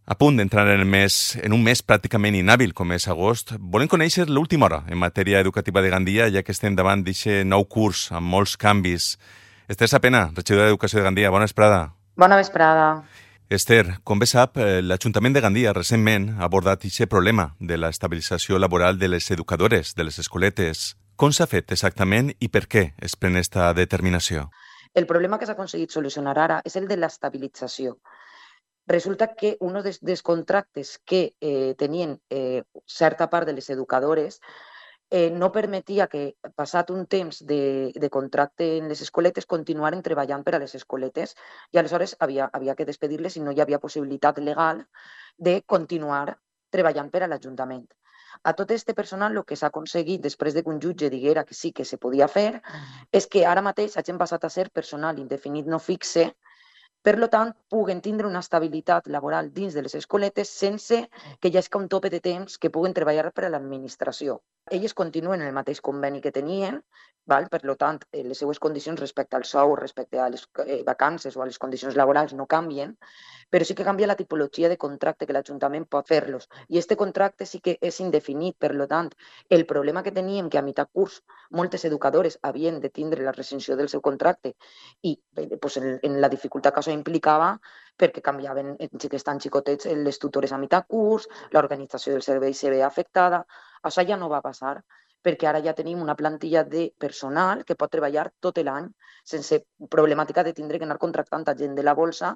A punt d'entrar en un mes pràcticament inhàbil com és agost, volem conèixer l'última hora en matèria educativa de Gandia, ja que estem davant d'aquest nou curs amb molts canvis. Esther Sapena, regidora d'Educació de Gandia, bona vesprada. Bona vesprada. Esther, com bé sap, l'Ajuntament de Gandia recentment ha abordat aquest problema de l'estabilització laboral de les educadores de les escoletes. Com s'ha fet exactament i per què es pren aquesta determinació? El problema que s'ha aconseguit solucionar ara és el de l'estabilització. Resulta que un dels contractes que tenien certa part de les educadores no permetia que, passat un temps de contracte en les escoletes, continuaren treballant per a les escoletes i aleshores havia que despedir-les i no hi havia possibilitat legal de continuar treballant per a l'Ajuntament. A tot este personal el que s'ha aconseguit després de que un jutge diguera que sí que se podia fer és que ara mateix hagin passat a ser personal indefinit no fixe. Per tant, puguen tindre una estabilitat laboral dins de les escoletes sense que hi hagi un tope de temps que puguen treballar per a l'administració. Elles continuen en el mateix conveni que tenien, per tant, les seues condicions respecte al sou, respecte a les vacances o a les condicions laborals no canvien, però sí que canvia la tipologia de contracte que l'Ajuntament pot fer-los. I aquest contracte sí que és indefinit, per tant, el problema que teníem que a mitjà curs moltes educadores havien de tindre la rescissió del seu contracte i en la dificultat que això implicava perquè canviaven xiquets tan xicotets les tutores a mitjà curs, l'organització del servei se veia afectada. Això ja no va passar perquè ara ja tenim una plantilla de personal que pot treballar tot l'any sense problemàtica de tindre que anar contractant a gent de la bolsa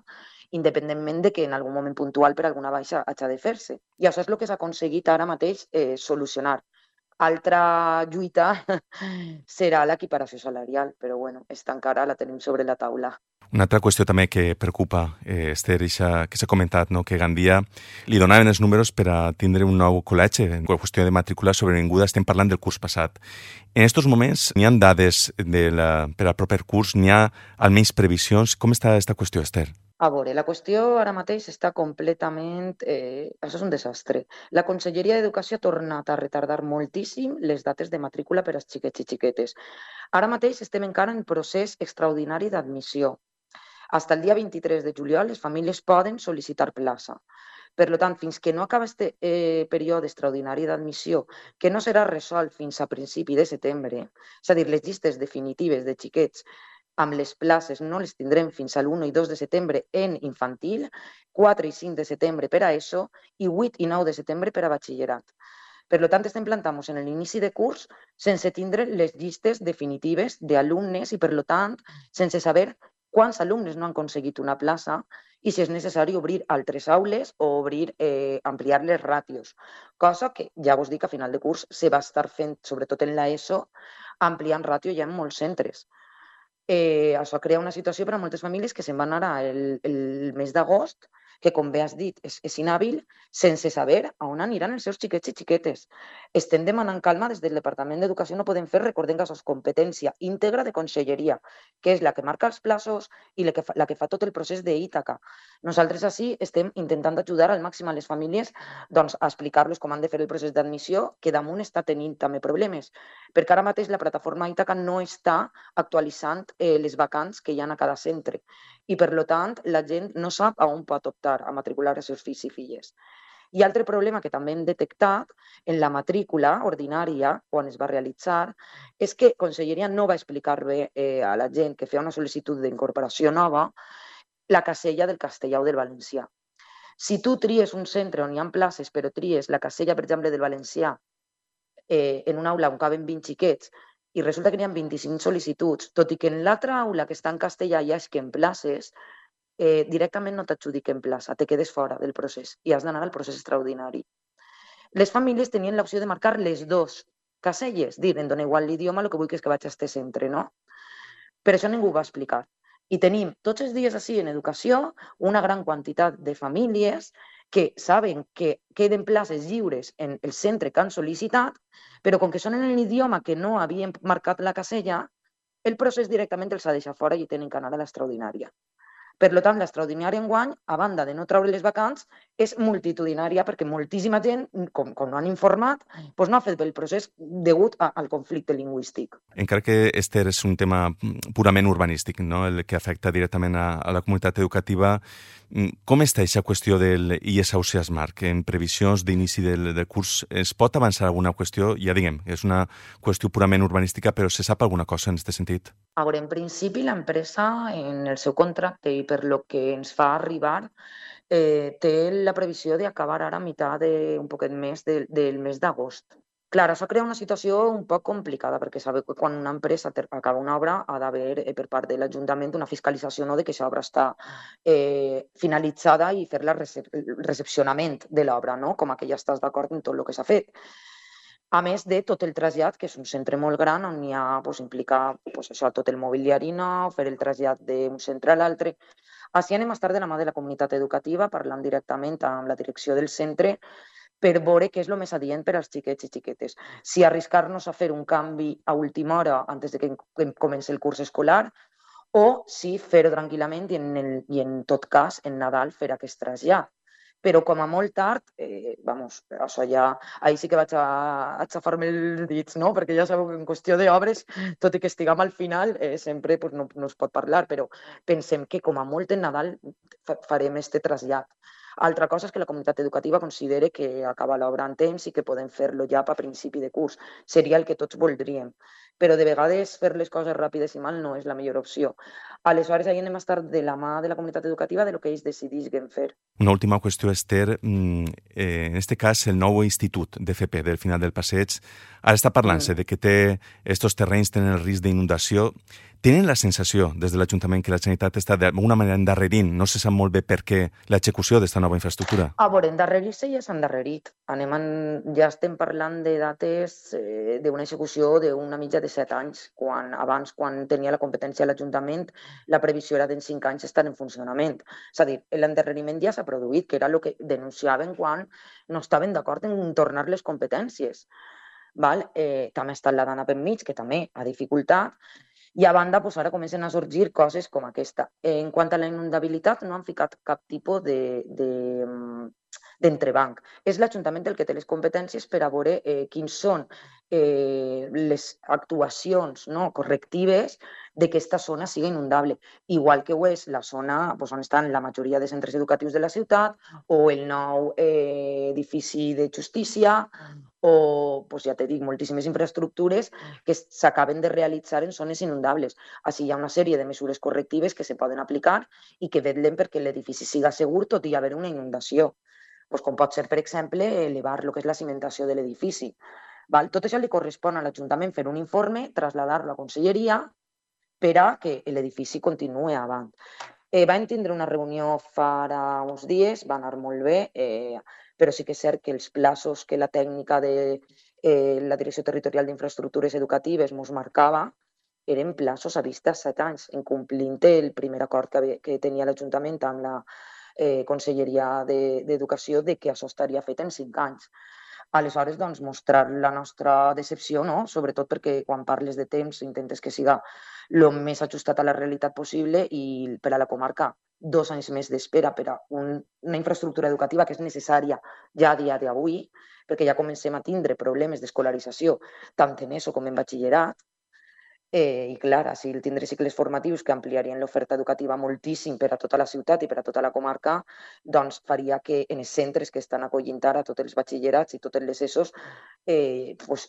independentment de que en algun moment puntual per alguna baixa hagi de fer-se. I això és el que s'ha aconseguit ara mateix solucionar. Altra lluita serà l'equiparació salarial, però esta encara la tenim sobre la taula. Una altra qüestió també que preocupa, Esther, que s'ha comentat, no? Que Gandia li donaven els números per a tindre un nou col·legi. En qüestió de matrícula sobrevinguda estem parlant del curs passat. En aquests moments n'hi ha dades per al proper curs, n'hi ha almenys previsions. Com està aquesta qüestió, Esther? A veure, la qüestió ara mateix està completament... això és un desastre. La Conselleria d'Educació ha tornat a retardar moltíssim les dates de matrícula per als xiquets i xiquetes. Ara mateix estem encara en procés extraordinari d'admissió. Fins el dia 23 de juliol les famílies poden sol·licitar plaça. Per tant, fins que no acaba aquest període extraordinari d'admissió, que no serà resolt fins a principi de setembre, és a dir, les llistes definitives de xiquets amb les places no les tindrem fins a l'1 i 2 de setembre en infantil, 4 i 5 de setembre per a ESO i 8 i 9 de setembre per a batxillerat. Per tant, estem plantant-nos en l'inici de curs sense tindre les llistes definitives d'alumnes i, per tant, sense saber quants alumnes no han aconseguit una plaça i si és necessari obrir altres aules o ampliar les ràtios. Cosa que, ja vos dic, a final de curs se va estar fent, sobretot en l'ESO, ampliant ràtio ja en molts centres. Això crea una situació per a moltes famílies que se'n van anar el mes d'agost, que, com bé has dit, és inhàbil, sense saber on aniran els seus xiquets i xiquetes. Estem demanant calma des del Departament d'Educació, no podem fer, recordem que això és competència íntegra de Conselleria, que és la que marca els plaços i la que fa tot el procés d'Ítaca. Nosaltres així estem intentant ajudar al màxim a les famílies a explicar-los com han de fer el procés d'admissió, que damunt està tenint també problemes, perquè ara mateix la plataforma Ítaca no està actualitzant les vacants que hi ha a cada centre i, per tant, la gent no sap on pot optar a matricular els seus fills i filles. I altre problema que també hem detectat en la matrícula ordinària, quan es va realitzar, és que Conselleria no va explicar bé a la gent que feia una sol·licitud d'incorporació nova la casella del castellà o del valencià. Si tu tries un centre on hi ha places, però tries la casella, per exemple, del valencià en una aula on caben 20 xiquets i resulta que n'hi ha 25 sol·licituds, tot i que en l'altra aula que està en castellà hi ha en places, directament no t'adjudiquen plaça, te quedes fora del procés i has d'anar al procés extraordinari. Les famílies tenien l'opció de marcar les dues caselles, dir, em dona igual l'idioma, el que vull és que vaig a este centre, no? Però això ningú ho va explicar. I tenim tots els dies així en educació una gran quantitat de famílies que saben que queden places lliures en el centre que han sol·licitat, però com que són en l'idioma que no havien marcat la casella, el procés directament els ha deixat fora i tenen que anar a l'extraordinària. Per tant, l'extraordinària enguany, a banda de no treure les vacants, és multitudinària perquè moltíssima gent, com no han informat, doncs no ha fet bé el procés degut al conflicte lingüístic. Encara que, Esther, és un tema purament urbanístic, no? El que afecta directament a la comunitat educativa, com està aquesta qüestió del IES Smart? En previsions d'inici del curs es pot avançar alguna qüestió? Ja diguem, és una qüestió purament urbanística, però se sap alguna cosa en aquest sentit? A veure, en principi l'empresa en el seu contracte i per lo que ens fa arribar té la previsió d'acabar ara a meitat un poquet més del mes d'agost. Clar, això crea una situació un poc complicada perquè sabeu que quan una empresa acaba una obra ha d'haver per part de l'Ajuntament una fiscalització de que aquesta obra està finalitzada i fer el recepcionament de l'obra, no? Com que ja estàs d'acord en tot el que s'ha fet. A més de tot el trasllat, que és un centre molt gran on hi ha, implica això, tot el mobiliari nou, fer el trasllat d'un centre a l'altre. Així anem a estar de la mà de la comunitat educativa, parlant directament amb la direcció del centre per veure què és el més adient per als xiquets i xiquetes. Si arriscar-nos a fer un canvi a última hora antes de que comenci el curs escolar o si fer-ho tranquil·lament i en tot cas en Nadal fer aquest trasllat. Però com a molt tard, això ja, ahir sí que vaig a xafar-me els dits, no? Perquè ja sabeu que en qüestió d'obres, tot i que estiguem al final, sempre no es pot parlar, però pensem que com a molt en Nadal farem este trasllat. Altra cosa és que la comunitat educativa considere que acaba l'obra en temps i que podem fer-lo ja a principi de curs. Seria el que tots voldríem. Però de vegades fer les coses ràpides i mal no és la millor opció. Aleshores, ahir anem a estar de la mà de la comunitat educativa de lo que ells decidisquen fer. Una última qüestió, Esther. En aquest cas, el nou institut d'FP del final del passeig ara està parlant-se de que estos terrenys tenen el risc d'inundació. Tenen la sensació des de l'Ajuntament que la Generalitat està d'alguna manera endarrerint? No se sap molt bé per què l'execució d'esta nova infraestructura. A veure, endarrerir-se ja s'ha endarrerit. Ja estem parlant de dates d'una execució d'una mitja de 7 anys. Abans, quan tenia la competència l'Ajuntament, la previsió era d'en 5 anys estar en funcionament. És a dir, l'endarreriment ja s'ha produït, que era el que denunciaven quan no estaven d'acord en tornar les competències. També ha estat la Dana per mig, que també ha dificultat. I a banda, ara comencen a sorgir coses com aquesta. En quant a la inundabilitat, no han ficat cap tipus d'entrebanc. És l'Ajuntament el que té les competències per a veure quins són les actuacions correctives de que aquesta zona sigui inundable. Igual que ho és la zona on estan la majoria de centres educatius de la ciutat o el nou edifici de justícia o, ja t'he dit, moltíssimes infraestructures que s'acaben de realitzar en zones inundables. Així hi ha una sèrie de mesures correctives que se poden aplicar i que vetllen perquè l'edifici siga segur tot i haver una inundació. Com pot ser, per exemple, elevar el que és la cimentació de l'edifici. Tot això li correspon a l'Ajuntament fer un informe, traslladar-lo a la Conselleria per a que l'edifici continuï avant. Vam tindre una reunió fa uns dies, va anar molt bé, però sí que és cert que els plaços que la tècnica de la Direcció Territorial d'Infraestructures Educatives ens marcava eren plaços a vista 7 anys, incomplint el primer acord que tenia l'Ajuntament amb la Conselleria d'Educació de que això estaria fet en 5 anys. Aleshores, mostrar la nostra decepció, sobretot perquè quan parles de temps intentes que siga el més ajustat a la realitat possible i per a la comarca 2 anys més d'espera per a una infraestructura educativa que és necessària ja a dia d'avui, perquè ja comencem a tindre problemes d'escolarització tant en ESO com en batxillerat. I clar, si tindré cicles formatius que ampliarien l'oferta educativa moltíssim per a tota la ciutat i per a tota la comarca, doncs faria que en els centres que estan acollint ara tots els batxillerats i totes les ESOs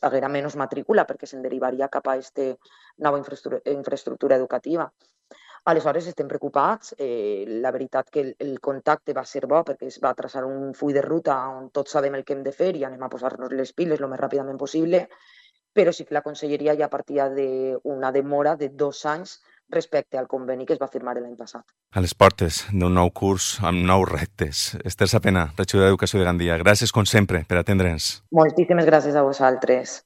haguera menys matrícula perquè se'n derivaria cap a aquesta nova infraestructura educativa. Aleshores estem preocupats. La veritat que el contacte va ser bo perquè es va traçar un full de ruta on tots sabem el que hem de fer i anem a posar-nos les piles el més ràpidament possible, però sí que la Conselleria ja partia d'una demora de 2 anys respecte al conveni que es va firmar l'any passat. A les portes d'un nou curs amb nous reptes. Esther Sapena, regidora d'Educació de Gandia, gràcies com sempre per atendre'ns. Moltíssimes gràcies a vosaltres.